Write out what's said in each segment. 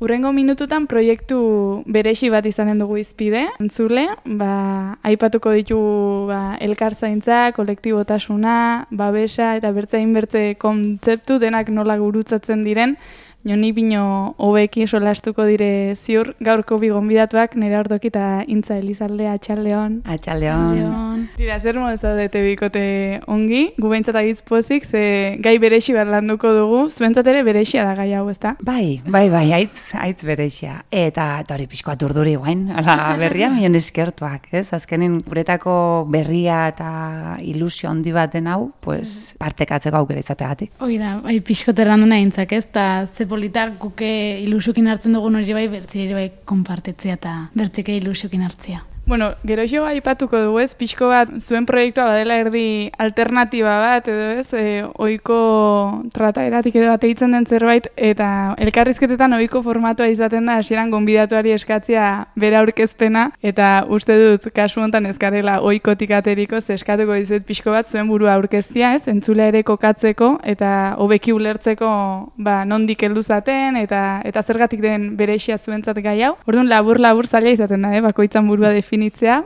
Hurrengo minututan proiektu beresi bat izanen dugu izpide, entzule, aipatuko ditugu elkarzaintza, kolektibotasuna, babesa eta bertze kontzeptu denak nola gurutzatzen diren, Joni bino hobeki solastuko dire ziur gaurko bi gonbidatuak Nerea Ordoki eta Intza Elizalde. Atxaldeon. Atxaldeon. Dira, zer modu zaudete bikote ongi, gu behintzat agitz pozik, ze gai berexi bat landuko dugu, zuentzat ere berexia da gai hau, ezta? Bai, aitz berexia. Eta hori pixkoat urduri guain, berria mion eskertuak, ez? Azkenin guretako berria eta ilusio handi baten hau, pues, partekatzeko aukera izategatik. Hoi da, bai, pixkot errandu nahi intzak, ez? Ta ze politar guke ilusiokin hartzen dugun hori bai, bertzi bai konpartetzea eta bertzike ilusiokin hartzea. Bueno, geroxo aipatuko dugu ez, pixko bat zuen proiektua badela erdi alternatiba bat, edo ez, ohiko trataeratik edo ateitzen den zerbait, eta elkarrizketetan ohiko formatua izaten da, hasieran gonbidatuari eskatzea bera aurkezpena, eta uste dut kasu hontan ezkarela ohikotik ateriko, eskatuko dizuet pixko bat zuen burua aurkeztia, ez, entzulea ere kokatzeko, eta hobeki ulertzeko nondik heldu zaten, eta zergatik den berexia zuentzat gai hau. Orduan labur zaila izaten da, bakoitzan burua definitzea,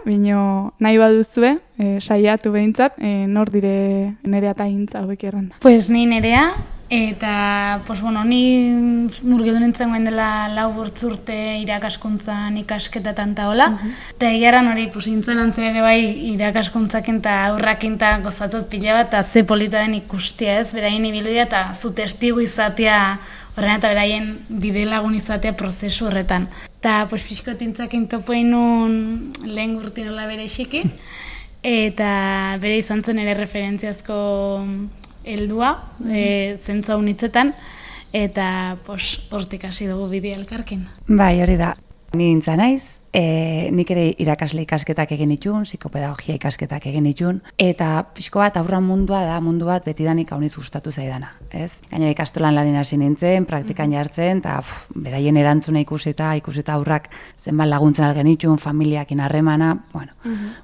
bino nahi baduzue, saiatu behintzat, nor dire Nerea eta Intza hobeki erranda. Pues ni Nerea, eta ni murgildu nintzen goen dela 4 urte irakaskuntzan ikasketatan eta hola, eta egiaran hori Intzan antzen ere bai irakaskuntzakin eta aurrakin eta gozatot pila bat, eta ze polita den ikustia ez, beraien ibiludia eta zu testigu izatea horren eta beraien bide lagun izatea prozesu horretan. Eta pixkot Intzakin topoin nun lehen gurti nola bere esiki, eta bere izan zen ere referentziazko heldua, zentzu hau nitzetan, eta hortik hasi dugu bidea elkarkin. Bai, hori da. Ni Intza naiz. Nik ere irakasle ikasketak egin itun, psikopedagogia ikasketak egin itun, eta pixko bat aurran mundua da, mundu bat betidanik hauniz gustatu zaidana, ez? Gainera ikastolan lanin hasi nintzen, praktikan jartzen, eta beraien erantzuna ikusita aurrak zenbat laguntzen algen itun, familiakin harremana,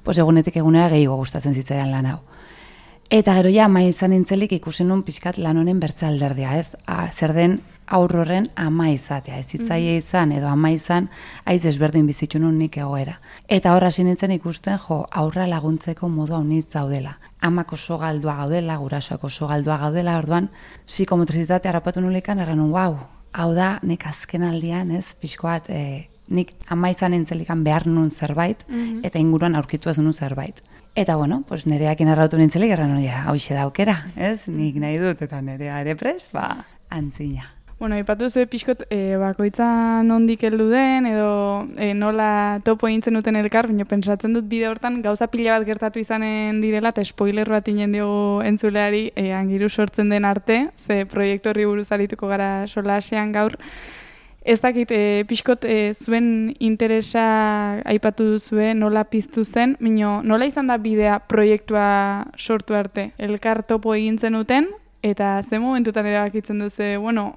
pues egunetik egunera gehiago gustatzen zitzaidan lan hau. Eta gero ja, ama izan nintzelik ikusen nun pixkat lan honen bertze alderdea, ez? Zer den aurroren ama izatea, ez hitzaile izan edo ama izan, aiz ezberdin bizitzu nun nik egoera. Eta horra hasi nintzen ikusten, aurra laguntzeko modu hauniz daudela. Amak oso galdua gaudela, gurasoak oso galdua gaudela, orduan, psikomotrizitate harrapatu nulikan, erran nun, hau da, nik azken aldian, ez, pixkoat, nik ama izan nintzelikan behar nun zerbait, eta inguruan aurkitu ez nun zerbait. Eta Nereakin arrautu nintzelik, erran nun, hauxe da aukera, ez, nik nahi dut, eta Nerea ere pres, antzina. Aipatu ze pixkot bakoitza nondik heldu den, edo nola topo egin zenuten elkar, baina pentsatzen dut bide hortan gauza pila bat gertatu izanen direla, eta spoiler bat inen diogu entzuleari angiru sortzen den arte, ze proiektu horri buruz arituko gara solasean gaur. Ez dakit, pixkot zuen interesa aipatu duzue, nola piztu zen, nola izan da bidea proiektua sortu arte? Elkar topo egin zenuten, eta ze momentutan ere bakitzen duzu,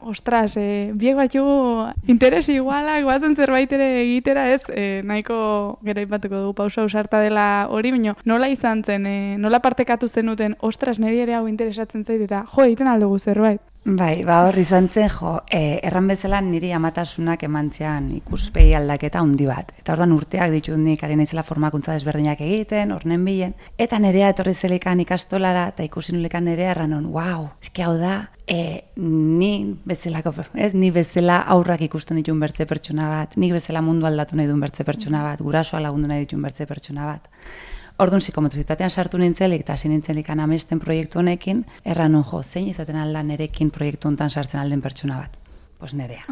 ostras, biek batxugu interesi igualak, guazen zerbait ere egitera, ez, nahiko gero aipatuko dugu pausa ausarta dela hori, nola izan zen, nola partekatu zenuten, ostras, niri ere hau interesatzen zait, eta egiten aldugu zerbait. Bai, hor izan zen, erran bezala niri amatasunak emantzean ikuspegi aldaketa handi bat. Eta orduan urteak ditut nik ari naizela formakuntza desberdinak egiten, hornen bilen. Eta Nerea etorri zelikan ikastolara, eta ikusi nulekan Nerea erranon, eski hau da, ni bezala aurrak ikusten dituen bertze pertsona bat, nik bezala mundu aldatu nahi duen bertze pertsona bat, gurasoa lagundu nahi dituen bertze pertsona bat. Orduan psikomotrizitatean sartu nintzelik eta hasi nintzelik amesten proiektu honekin, erran nun zein izaten alda nerekin proiektu honetan sartzen alden pertsona bat. Nerea.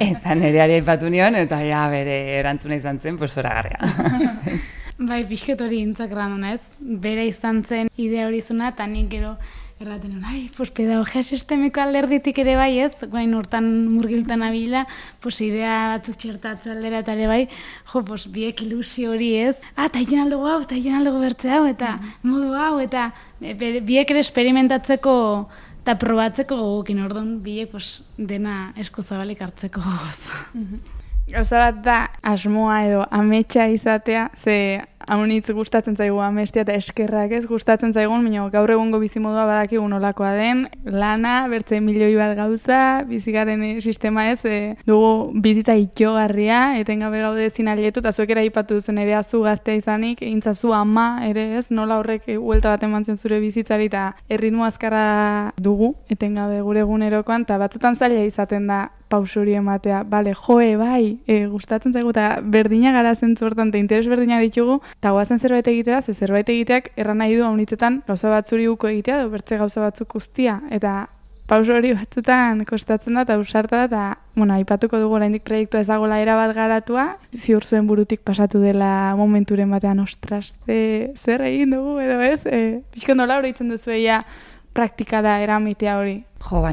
Eta Nereari aipatu nion, eta bere erantzuna izan zen, zoragarria. Bai, pixket hori Intzak ranuna ez, bere izan zen idea hori zuna, eta nik gero erraten nuen, pedagogia sistemiko alderditik ere bai ez, guain hortan murgiltan abila, idea batzuk txertatzen aldera eta ere bai, biek ilusio hori ez, eta egin aldugu hau, eta egin aldugu bertze hau, eta modu hau, eta biek ere experimentatzeko eta probatzeko gogokin orduan, biek dena esku zabalik hartzeko gogoz. Gauza bat da asmoa edo ametsa izatea, ze haunitz gustatzen zaigu amestia eta eskerrak ez gustatzen zaigun, baina gaur egungo bizimodua badakigu nolakoa den, lana, bertze milioi bat gauza, bizigaren sistema ez, dugu bizitza itxogarria, etengabe gaude ezin alietu, eta zuek ere aipatu duzen ere azu gaztea izanik, egintzazu ama ere ez, nola horrek huelta bat emantzen zure bizitzari eta erritmo azkarra dugu, etengabe gure egunerokoan, eta batzutan zaila izaten da pauso hori ematea, bale, bai, gustatzen zaigu eta berdina gara zentzu hortan, eta interes berdinak ditugu, eta goazen zerbait egitea, ze zerbait egiteak erran nahi du haunitzetan gauza batzuri uko egitea, edo bertze gauza batzuk guztia, eta pauso hori batzutan kostatzen da, eta usarta da, eta, aipatuko dugu oraindik proiektua ezagola erabat garatua, ziur zuen burutik pasatu dela momenturen batean, ostras, zer egin dugu, edo ez, pixko nola hori itzen duzu praktikara eramitea hori?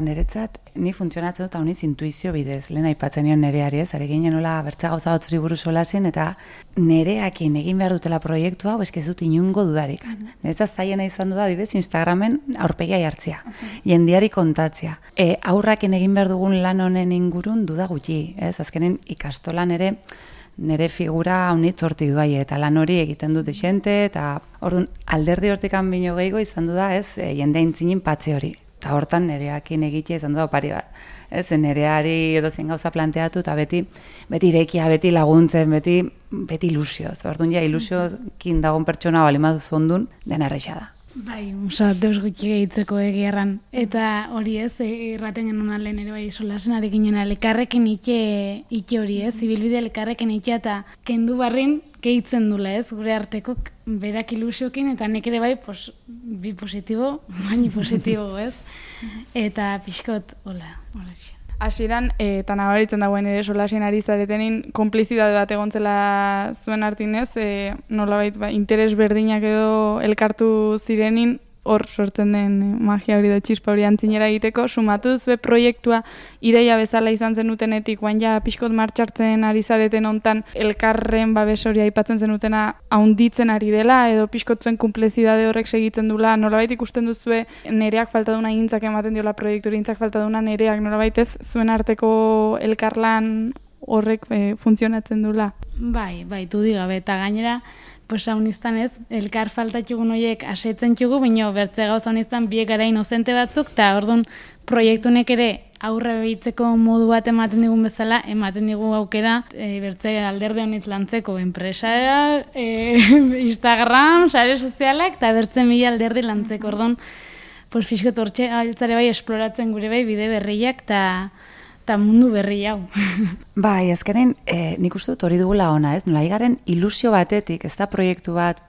Niretzat, ni funtzionatzen dut hauniz intuizio bidez, lehen aipatzen nion nereari ez, ari ginen nola bertza gauza batzuri buruz solasin, eta nereakin egin behar dutela proiektua, ez dut inungo dudarik. Niretzat zaiena izan du da, adibidez, Instagramen aurpegia jartzea, jendiari kontatzea. Aurrakin egin behar dugun lan honen ingurun duda gutxi, ez, azkenen ikastolan ere, nire figura haunitz hortik duai, eta lan hori egiten dute xente, eta orduan alderdi hortikan bino gehiago izan du da, ez, jende aintzinin patze hori. Eta hortan nereakin egitea izan du da opari bat. Ez, nereari edozein gauza planteatu, eta beti irekia, beti laguntzen, beti ilusioz. Orduan ja, ilusiokin dagoen pertsona balimatu zondun, dena erresa da. Bai, deus gutxi gehitzeko egiarran. Eta hori ez, erraten genuen lehen ere bai solasen arekin jena, lekarrekin itxe hori ez, zibilbide lekarrekin itxea eta kendu barrin gehitzen dula ez, gure arteko berak ilusiokin, eta nek ere bai, bi positibo, baini positibo ez, eta pixkot, hola. Hasieran, eta nabaritzen dagoen ere solasien ari zaretenin, konplizidade bat egontzela zuen artinez, nolabait interes berdinak edo elkartu zirenin, hor sortzen den magia hori da txispa hori antzinera egiteko, sumatu zuen proiektua ideia bezala izan zenutenetik, guain ja pixkot martxartzen ari zareten hontan elkarren babes hori aipatzen zenutena haunditzen ari dela, edo pixkot zuen konplizidade horrek segitzen dula, nolabait ikusten duzue nereak falta duna intzak ematen diola proiektu hori, intzak falta duna nereak, nolabait ez zuen arteko elkarlan horrek funtzionatzen dula. Bai, du digabe, eta gainera, hauniztan ez, elkar faltatxugun horiek asetzen txugu, baina bertze gauz hauniztan biek gara inozente batzuk, eta orduan proiektunek ere aurre behitzeko modu bat ematen digun bezala, ematen digu aukera bertze alderde honit lantzeko enpresa, Instagram, sare sozialak, eta bertze mila alderdi lantzeko, orduan, fiskot hortxe altzare bai esploratzen gure bai bide berriak, eta mundu berri hau. Bai, azkenen, nik uste dut hori dugula ona, ez? Nola, igaren ilusio batetik, ez da proiektu bat,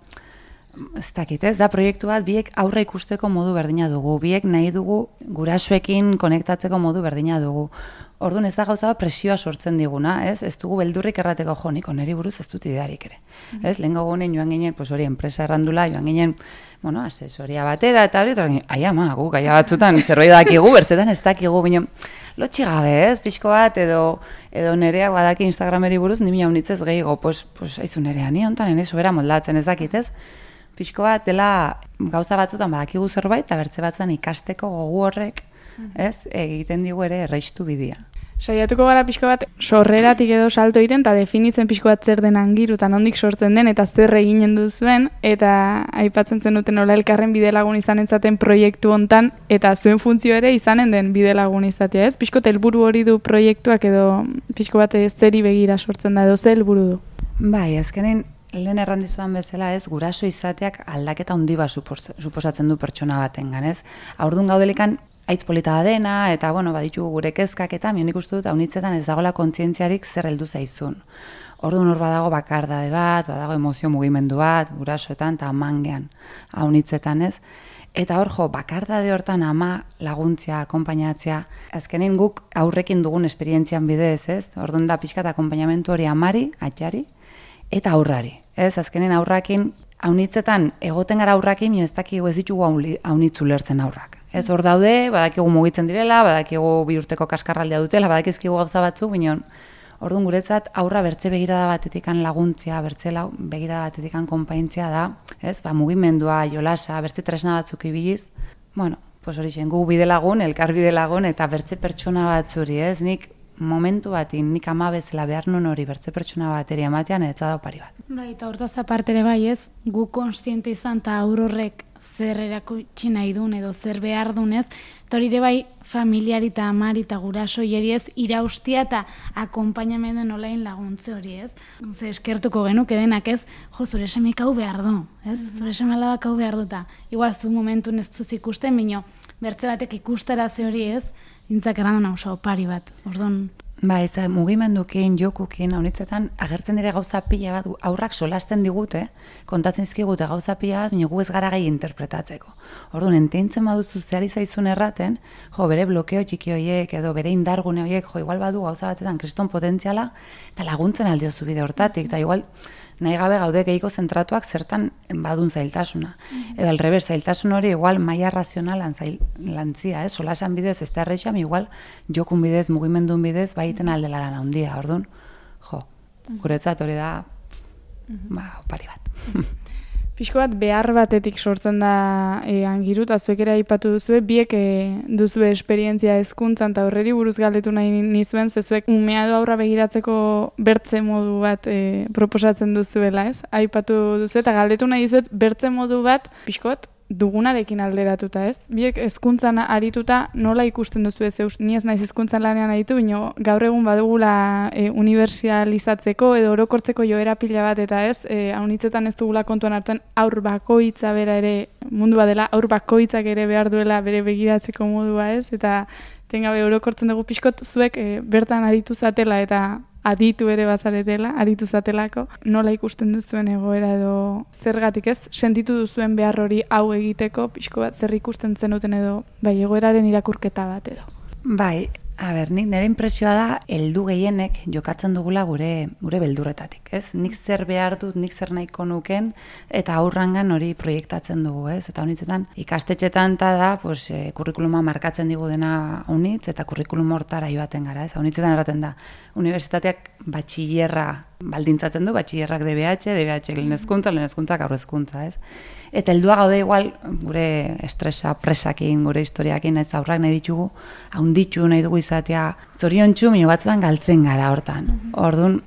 ez da proiektu bat, biek aurre ikusteko modu berdina dugu, biek nahi dugu gurasoekin konektatzeko modu berdina dugu. Orduan ez da gauza bat presioa sortzen diguna, ez dugu beldurrik errateko jonik, oneri buruz ez dut idearik ere. Ez, lehen gogunen joan ginen, hori enpresa errandula, joan ginen, asesoria batera, eta hori, gu, gaia batzutan, zerbait dakigu, bertzetan ez dakigu, bino, lotxi gabe, ez, pixko bat, edo nereak badaki Instagrameri buruz, nimi haunitzez gehiago, aizu nerea, ni hontan, ene sobera moldatzen ez dakit, ez? Pixko bat, dela gauza batzutan badakigu zerbait, eta bertze batzutan ikasteko gogu horrek, ez, egiten digu ere erreistu bidea. Saiatuko gara pixko bat sorreratik edo salto egiten, eta definitzen pixko bat zer den angiru, eta nondik sortzen den, eta zer eginen duzuen, eta aipatzen zenuten nola elkarren bidelagun izanen zaten proiektu hontan, eta zuen funtzio ere izanen den bidelagun izatea, ez? Pixko helburu hori du proiektuak edo pixko bat zeri begira sortzen da, edo ze helburu du? Bai, azkenen, lehen errandizudan bezala ez, guraso izateak aldaketa handi bat suposatzen du pertsona batengan, ez? Haurdun gaudelikan, aitz polita dena, eta, baditu gure kezkak eta nik uste dut, haunitzetan ez dagoela kontzientziarik zer heldu zaizun. Orduan hor badago bakardade bat, badago emozio mugimendu bat, gurasoetan eta amangean haunitzetan ez. Eta hor bakardade hortan ama laguntzia, akonpainatzea, azkenin guk aurrekin dugun esperientzian bidez, ez? Orduan da pixka eta akonpainamentu hori amari, atxari, eta aurrari. Ez, azkenin aurrakin, haunitzetan egoten gara aurrakin, ez dakigu ez ditugu haunitzu lertzen aurrak. Ez hor daude, badakigu mugitzen direla, badakigu bi urteko kaskarraldea dutela, badakizkigu gauza batzuk, bineon, orduan guretzat aurra bertze begirada batetikan laguntzia, bertze begirada batetikan konpaintzia da, ez, mugimendua, jolasa, bertze tresna batzuk ibiliz, hori zen, gu bide lagun, elkar bide lagun, eta bertze pertsona batzuri, ez, nik momentu batin nik ama bezala behar nun hori bertze pertsona bateri ematean etza da opari bat. Bai, eta hortaz aparte ere bai ez, gu konstiente izan eta aurrorrek zer erakutsi nahi duen edo zer behar dunez, eta hori ere bai familiari eta amari eta guraso hieri ez iraustia eta akompainamendu nolain laguntze hori ez. Ze eskertuko genuke denak ez, jo, zure semek hau behar du, ez? Zure seme alabak hau behar duta. Igual zu momentun ez zuz ikusten, bino bertze batek ikustaraze hori ez, dintzak errandu nauza opari bat, orduan. Ba, ez mugimendukin, jokukin, honitzetan agertzen dire gauza pila bat, aurrak solasten digute, kontatzen izkigute gauza pila bat, baina gu ez gara gai interpretatzeko. Orduan, enteintzen baduzu zehari zaizun erraten, jo, bere blokeo txiki horiek, edo bere indargune horiek, jo, igual badu gauza batetan kriston potentziala, eta laguntzen aldiozu bide hortatik, eta igual nahi gabe gaude gehiko zentratuak zertan badun zailtasuna. Edo alrebez, zailtasun hori igual maila razionalan lantzia, solasan bidez ez da errexam, igual jokun bidez, mugimendun bidez, baiten aldela lan handia. Orduan, jo, guretzat hori da, opari bat. Pixko bat behar batetik sortzen da Angiru, eta zuek ere aipatu duzue, biek duzue esperientzia hezkuntzan eta horreri buruz galdetu nahi nizuen, zezuek umea du aurra begiratzeko bertze modu bat proposatzen duzuela, ez? Aipatu duzu eta galdetu nahi dizuet bertze modu bat, pixko bat, dugunarekin alderatuta, ez? Biek hezkuntzan arituta nola ikusten duzu ez eus, ni ez naiz hezkuntzan lanean aritu, bino gaur egun badugula unibertsalizatzeko edo orokortzeko joera pila bat eta ez, haunitzetan ez dugula kontuan hartzen aur bakoitza bera ere mundua dela, aur bakoitzak ere behar duela bere begiratzeko modua ez, eta tengabe orokortzen dugu pixkot zuek bertan aritu zatela eta aditu ere bazaretela, aritu zatelako, nola ikusten duzuen egoera edo zergatik ez, sentitu duzuen behar hori hau egiteko, pixko bat zer ikusten zenuten edo, bai, egoeraren irakurketa bat edo. Bai, nik nire impresioa da, heldu gehienek jokatzen dugula gure beldurretatik, ez? Nik zer behar dut, nik zer nahiko nuken, eta aurrangan hori proiektatzen dugu, ez? Eta honitzetan, ikastetxetan da, kurrikuluma markatzen digu dena honitz, eta kurrikulum hortara joaten gara, ez? Honitzetan erraten da, unibertsitateak batxillerra baldintzatzen du, batxillerrak DBH lehen hezkuntzak aurre hezkuntza, ez? Eta heldua gaude igual, gure estresa, presakin, gure historiakin, ez aurrak nahi ditugu, haunditu nahi dugu izatea, zoriontsu, mino batzuan galtzen gara hortan. Orduan,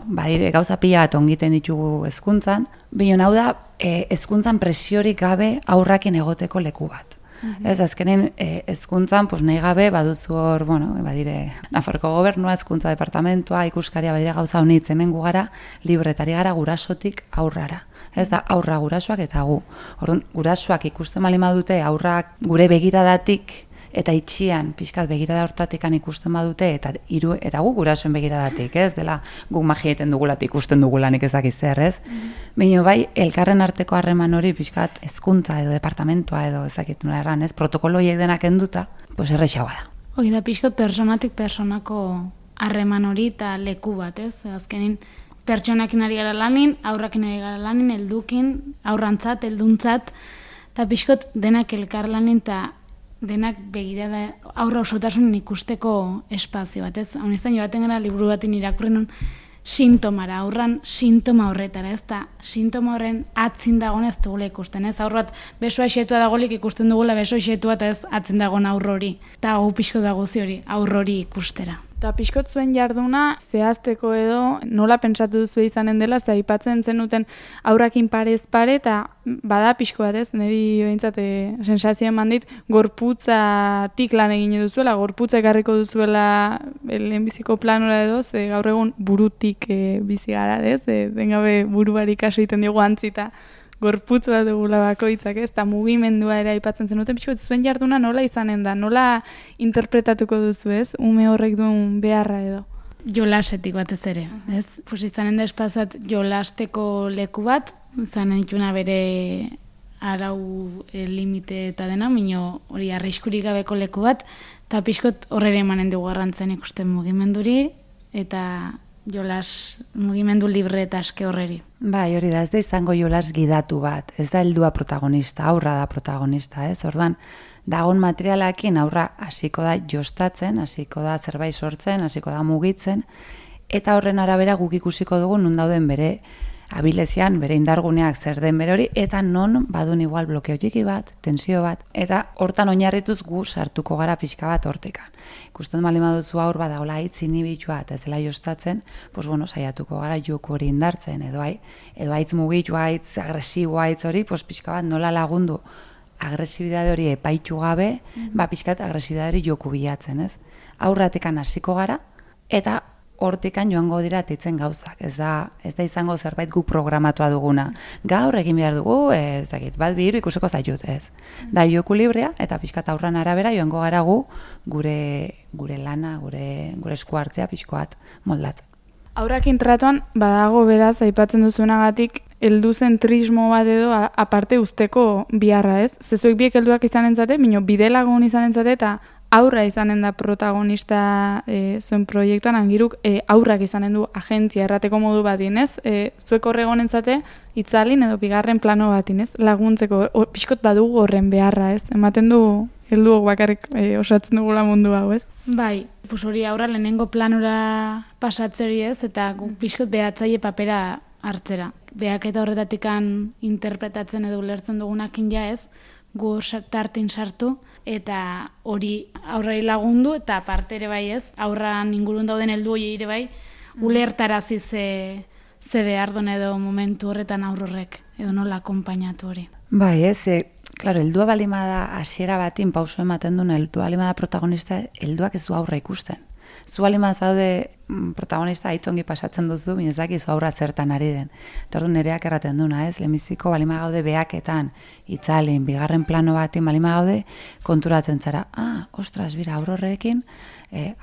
badire, gauza pila bat ongiten ditugu hezkuntzan, baina hau da, hezkuntzan presiorik gabe aurrakin egoteko leku bat. Ez, azkenen hezkuntzan, nahi gabe, baduzu hor, badire, Nafarroko gobernua, hezkuntza departamentua, ikuskaria, badire gauza honitz hemen gu gara, libretari gara gurasotik aurrara. Ez da, aurra gurasoak eta gu. Orduan, gurasoak ikusten bali badute aurrak gure begiradatik eta itxian, pixkat begirada hortatikan ikusten badute, eta gu gurasoen begiradatik, ez? Dela, guk magieten dugulatik ikusten dugulanik ezakiz zer, ez? Baina bai, elkarren arteko harreman hori pixkat hezkuntza edo departamentua edo ezakitu nola erran, ez? Protokolo horiek denak enduta, errexagoa da. Hoi da, pixkat personatik personako harreman hori eta leku bat, ez? Azkenin, pertsonakin ari gara lanin, aurrakin ari gara lanin, heldukin, aurrantzat, helduntzat, eta pixkot denak elkar lanin eta denak begirada aurra osotasunen ikusteko espazio bat, ez? Honeztan joaten gara liburu batin irakurren sintomara, aurran sintoma horretara, ez da, sintoma horren atzin dagoen ez dugula ikusten, ez? Aurrat besoa xetua dagoelik ikusten dugula besoa xetua eta ez atzin dagoen aurrori, eta hau pixko dagozi hori, aurrori ikustera. Eta pixkot zuen jarduna zehazteko edo nola pentsatu duzu izanen dela, ze aipatzen zenuten aurrakin parez pare, eta bada pixko bat ez, niri behintzat sensazio eman dit, gorputzatik lan egin duzuela, gorputza ekarriko duzuela lehenbiziko planora edo, ze gaur egun burutik bizi gara, ez, dengabe buruari kaso egiten diogu antzita, gorputz bat dugula bakoitzak, ez, eta mugimendua ere aipatzen zenuten, pixko zuen jarduna nola izanen da, nola interpretatuko duzu, ez, ume horrek duen beharra edo? Jolasetik batez ere, ez? Izanen da espazioat jolasteko leku bat, izanen dituna bere arau limite eta dena, mino hori arriskurik gabeko leku bat, eta pixkot horrere emanen dugu garrantzen ikusten mugimenduri, eta jolas mugimendu libre eta aske horreri. Bai, hori da, ez da izango jolas gidatu bat, ez da heldua protagonista, aurra da protagonista, ez? Orduan, dagon materialakin aurra hasiko da jostatzen, hasiko da zerbait sortzen, hasiko da mugitzen, eta horren arabera guk ikusiko dugu nun dauden bere abilezian bere indarguneak zer den bere hori, eta non badun igual blokeo txiki bat, tensio bat, eta hortan oinarrituz gu sartuko gara pixka bat hortekan. Ikusten bali maduzu aur badagola hitz inibitua eta ez dela jostatzen, pues bueno, saiatuko gara joku hori indartzen, edo haitz mugitua, haitz agresiboa, haitz hori, pues pixka bat nola lagundu agresibidade hori epaitu gabe, pixkat agresibidade hori joku bilatzen, ez? Aurratekan hasiko gara, eta hortikan joango dira teitzen gauzak. Ez da izango zerbait gu programatua duguna. Gaur egin behar dugu, bat bihiru ikusiko zaitut, ez. Da joku librea, eta pixkat aurran arabera joango gara gu gure lana, gure esku hartzea pixkoat moldatzen. Aurrakin tratuan, badago beraz, aipatzen duzuenagatik, helduzentrismo bat edo aparte usteko biharra, ez? Zezuek biek helduak izanen zate, bino bidelagun izanen zate, eta aurra izanen da protagonista zuen proiektuan, angiruk aurrak izanen du agentzia errateko modu batin, ez? Zuek horregonen zate, itzalin edo bigarren plano batin, ez? Laguntzeko, pixkot badugu horren beharra, ez? Ematen du helduok bakarrik osatzen dugula mundu hau, ez? Bai, hori aurra lehenengo planora pasatzeri ez, eta pixkot behatzaile papera hartzera. Beak eta horretatikan interpretatzen edo ulertzen dugunakin ja ez, gu tartin sartu, eta hori aurrari lagundu, eta aparte ere bai ez, aurran ingurun dauden heldu hori ere bai, ulertarazi ze behar duen edo momentu horretan aurrorrek, edo nola akonpainatu hori. Bai ez, claro, heldua balimada hasiera batin pauso ematen duen heldua balimada protagonista, helduak ez du aurra ikusten. Zu balimada zaude protagonista aitzongi pasatzen duzu, minezaki zu aurra zertan ari den. Eta orduan nereak erraten duna, ez? Lehenbiziko balima gaude behaketan, itzalin, bigarren plano batin balima gaude, konturatzen zara, ostras, bira, aurrorrekin,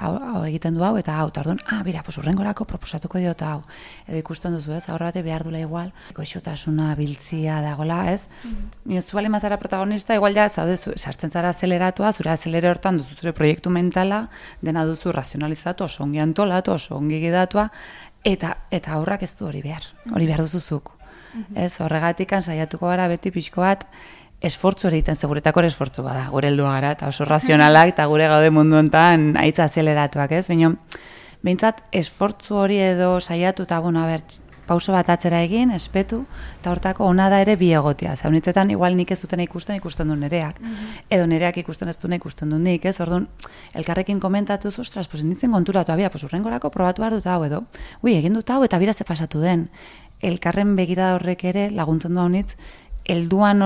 hau egiten du hau, eta hau, eta orduan, bira, urrengorako proposatuko diot hau. Edo ikusten duzu, ez? Aurra bate behar dula igual, goxotasuna, biltzia dagola, ez? Zu balima zara protagonista, igual ja, zaude, sartzen zara azeleratua, zure azelere hortan duzu zure proiektu mentala, dena duzu razionalizatu, oso ongi antolatu, oso ongi gidatua, eta aurrak ez du hori behar duzuzuk. Ez, horregatik saiatuko gara beti pixko bat, esfortzu egiten seguretako esfortzu bada, gure heldua gara, eta oso razionalak, eta gure gaude mundu honetan aitza azeleratuak, ez? Baina, behintzat, esfortzu hori edo saiatu, eta bueno, pauso bat atzera egin, espetu, eta hortako ona da ere bi egotia. Zaunitzetan, igual nik ez dutena ikusten du nereak. Edo nereak ikusten ez duna ikusten du nik, ez? Orduan, elkarrekin komentatuz, ostras, pues nintzen konturatu, bira, pues urrengorako probatu behar dut hau edo. Egin dut hau eta bira ze pasatu den. Elkarren begirada horrek ere laguntzen du haunitz, helduan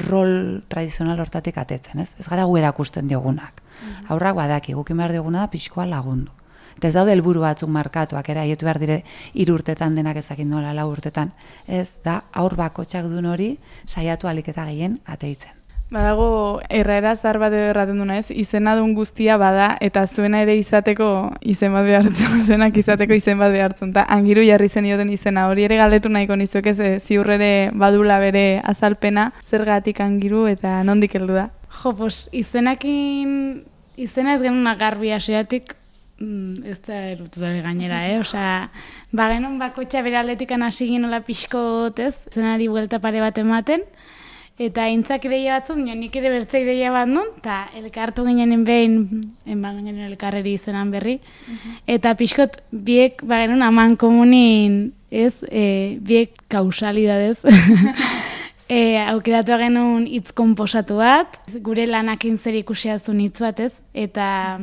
rol tradizional hortatik atetzen, ez? Ez gara gu erakusten diogunak. Aurrak badaki, gukin behar dioguna da pixkoa lagundu. Eta ez daude helburu batzuk markatuak, haietu behar dire 3 urtetan denak ezakin nola 4 urtetan. Ez da, aur bakotxak duen hori saiatu alik eta gehien ateitzen. Badago, erraera zar bat edo erraten duna ez, izena duen guztia bada, eta zuena ere izateko izen bat behartzen, zenak izateko izen bat behartzen, eta angiru jarri zen ioten izena, hori ere galdetu nahiko nizuek ez, ziur ere badula bere azalpena, zergatik angiru eta nondik heldu da? Jo, izena ez genuen garbi hasieratik, ez da erututari gainera, Osea, genuen bakotxa bere aldetikan hasi ginola pixkot, ez? Zenari buelta pare bat ematen, eta intzak ideia batzuk, nik ere bertze ideia bat nun, eta elkartu ginen behin, enban ginen elkarreri izenan berri, eta pixkot biek genuen aman komunin, ez? Biek kausalidadez, aukeratu genuen hitz konposatu bat, gure lanakin zer ikusia zuen hitz bat, ez? Eta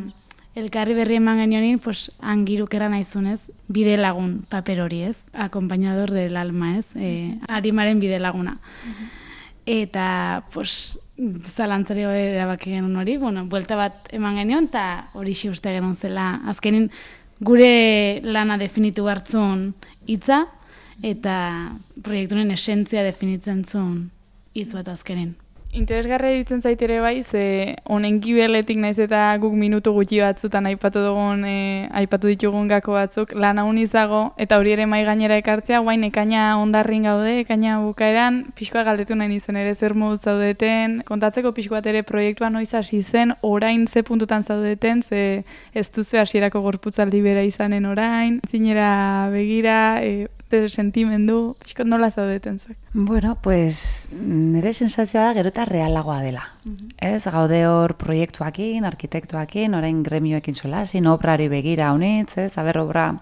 elkarri berri eman genionin, angiruk eran aizunez, bide lagun paper hori, ez? Akompainador del alma, ez? Arimaren bide laguna. Eta, zalantzari erabaki genuen hori, buelta bat eman genion, eta hori uste genuen zela. Azkenin, gure lana definitu hartzun hitza, eta proiektunen esentzia definitzen zuen hitz bat azkenin. Interesgarria ditzen zait ere bai, ze honen gibeletik naiz eta guk minutu gutxi batzutan aipatu ditugun gako batzuk, lan hau izago, eta hori ere mai gainera ekartzea, guain ekaina ondarrin gaude, ekaina bukaeran, pixkoa galdetu nahi nizuen ere zer modu zaudeten, kontatzeko pixkoat ere proiektua noiz hasi zen, orain ze puntutan zaudeten, ze ez duzu hasierako gorputzaldi bera izanen orain, zinera begira, sentimendu, pixkot nola zaudeten zuek? Bueno, nire sensazioa da gero eta realagoa dela. Ez, gaude hor proiektuakin, arkitektuakin, orain gremioekin solasin, obrari begira honitz, ez, obra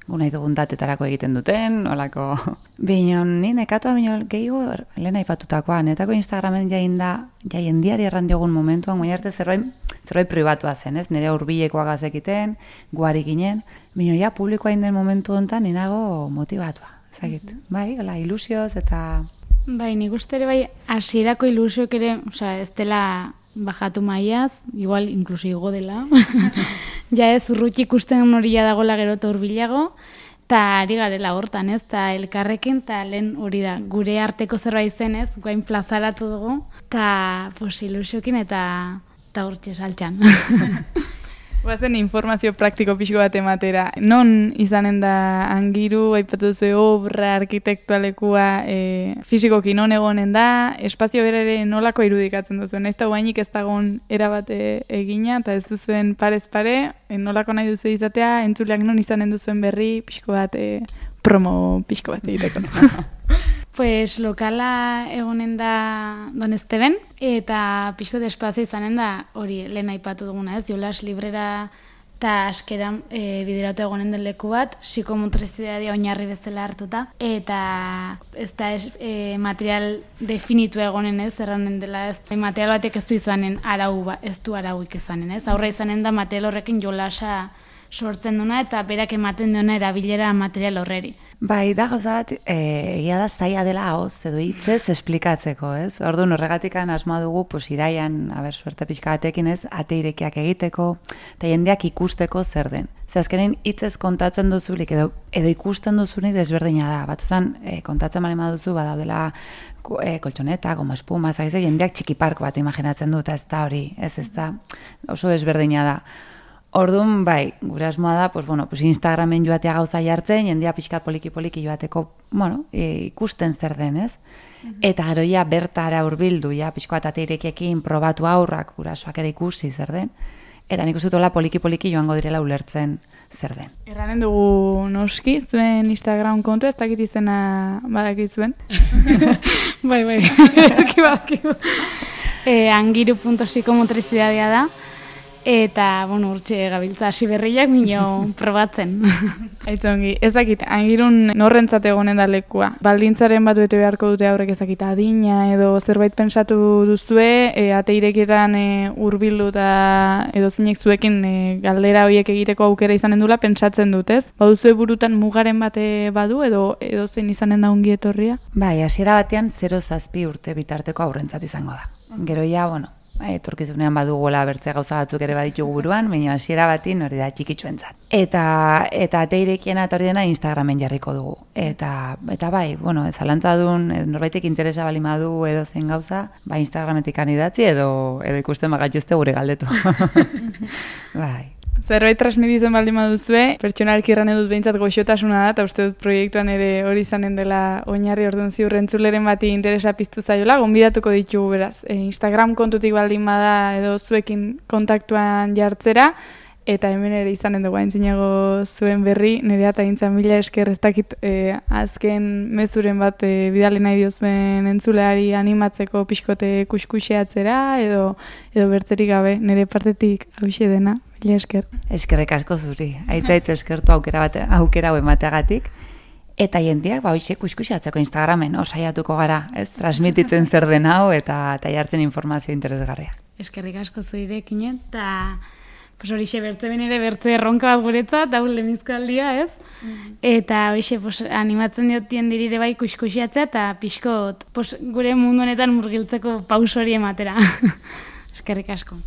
gu nahi dugun datetarako egiten duten, olako. Binon, ni nekatua gehiago lehen aipatutakoa, netako Instagramen jendiari erran diogun momentuan, baina arte zerbait pribatua zen, ez? Nire hurbilekoa gazekiten, guari ginen, bino ja publikoa inden momentu honetan ninago motibatua, ezagit. Bai, ilusioz eta... Bai, nik uste ere bai, hasierako ilusioak ere, ez dela bajatu maiaz, igual inkluso igo dela. Ja ez, urruti ikusten horia dagoela gero eta hurbilago, eta ari garela hortan, ez, eta elkarrekin, eta lehen hori da, gure arteko zerbait zen, ez, guain plazaratu dugu, eta ilusiokin eta hortxe saltxan. Guazen informazio praktiko pixko bat ematera. Non izanen da Angiru, aipatu duzu obra, arkitektualekua, fizikoki non egonen da, espazio berere nolako irudikatzen duzu. Naiz eta guainik ez dagoen erabate egina, eta ez duzuen parez pare, nolako nahi duzu izatea, entzuleak non izanen duzuen berri, pixko bat, promo pixko bat egiteko. Pues lokala egonen da Don Esteben, eta pixko de espazio izanen da hori lehen aipatu duguna, ez? Jolas librera eta askeran bideratu egonen den leku bat, psikomotrizidadia oinarri bezala hartuta, eta ez da material definitu egonen, ez? Erranen dela, ez? Material batek ez du izanen ez du arauik izanen, ez? Aurra izanen da material horrekin jolasa sortzen duna eta berak ematen duena erabilera material horreri. Bai, da gauza bat, egia da zaila dela hoz, edo hitzez esplikatzeko, ez? Orduan horregatikan asmoa dugu, iraian, suerte pixka batekin, ez? Ate irekiak egiteko, eta jendeak ikusteko zer den. Ze azkenean hitzez kontatzen duzulik, edo ikusten duzunik desberdina da. Batzutan, kontatzen bali maduzu, badaudela koltsoneta, goma espuma, zaize, jendeak txikiparko bat imaginatzen dut, ez da hori, ez da oso desberdina da. Orduan, bai, gure asmoa da, Instagramen joatea gauza jartzen, jendia pixkat poliki-poliki joateko, ikusten zer den, ez? Eta gero ja bertara hurbildu, ja pixkoat ateirekiekin probatu aurrak, gurasoak ere ikusi zer den, eta nik uste tola poliki-poliki joango direla ulertzen zer den. Erranen dugu noski, zuen Instagram kontu, ez dakit izena badakit zuen? Bai, badakigu. Angiru.psikomotrizidadia da. Eta, urtxe gabiltza hasi berriak mino probatzen. Aitzongi, ezakit, Angirun norrentzat egonen da lekua. Baldintzaren bat bete beharko dute aurrek ezakit adina edo zerbait pensatu duzue, ateirekietan hurbildu eta edo zinek zuekin galdera horiek egiteko aukera izanen dula pentsatzen dut, ez? Baduzue burutan mugaren bate badu edo zein izanen da ongi etorria? Bai, hasiera batean 0-7 urte bitarteko aurrentzat izango da. Gero ja, etorkizunean badugola bertze gauza batzuk ere baditugu buruan, baina hasiera batin hori da txikitsuentzat. Eta ateirekiena eta hori dena Instagramen jarriko dugu. Eta bai, zalantza duen, norbaitek interesa balimadu edo zen gauza, Instagrametik idatzi edo ikusten bagatuzte gure galdetu. Bai. Zerbait transmititzen baldin baduzue, pertsonalki erran edut behintzat goxotasuna da, eta uste dut proiektuan ere hori izanen dela oinarri orduan ziur entzuleren bati interesa piztu zaiola, gonbidatuko ditugu beraz. Instagram kontutik baldin bada edo zuekin kontaktuan jartzera, eta hemen ere izanen dugu aintzinago zuen berri, nire eta gintzen mila esker ez dakit azken mezuren bat bidali nahi diozuen entzuleari animatzeko pixkote kuskuxeatzera, edo bertzerik gabe, nire partetik hauxe dena. Esker. Eskerrik asko zuri. Aitzaitz eskertu aukera hau emateagatik. Eta jendeak, hoxe kuskuxatzeko Instagramen, saiatuko gara, ez? Transmititzen zer den hau eta jartzen informazio interesgarria. Eskerrik asko zurekin, eta horixe bertze benere bertze erronka bat guretzat, hau lemizko aldia, ez? Eta horixe animatzen diotien dirire bai kuskuxatzea eta pixkot gure mundu honetan murgiltzeko paus hori ematera. Eskerrik asko.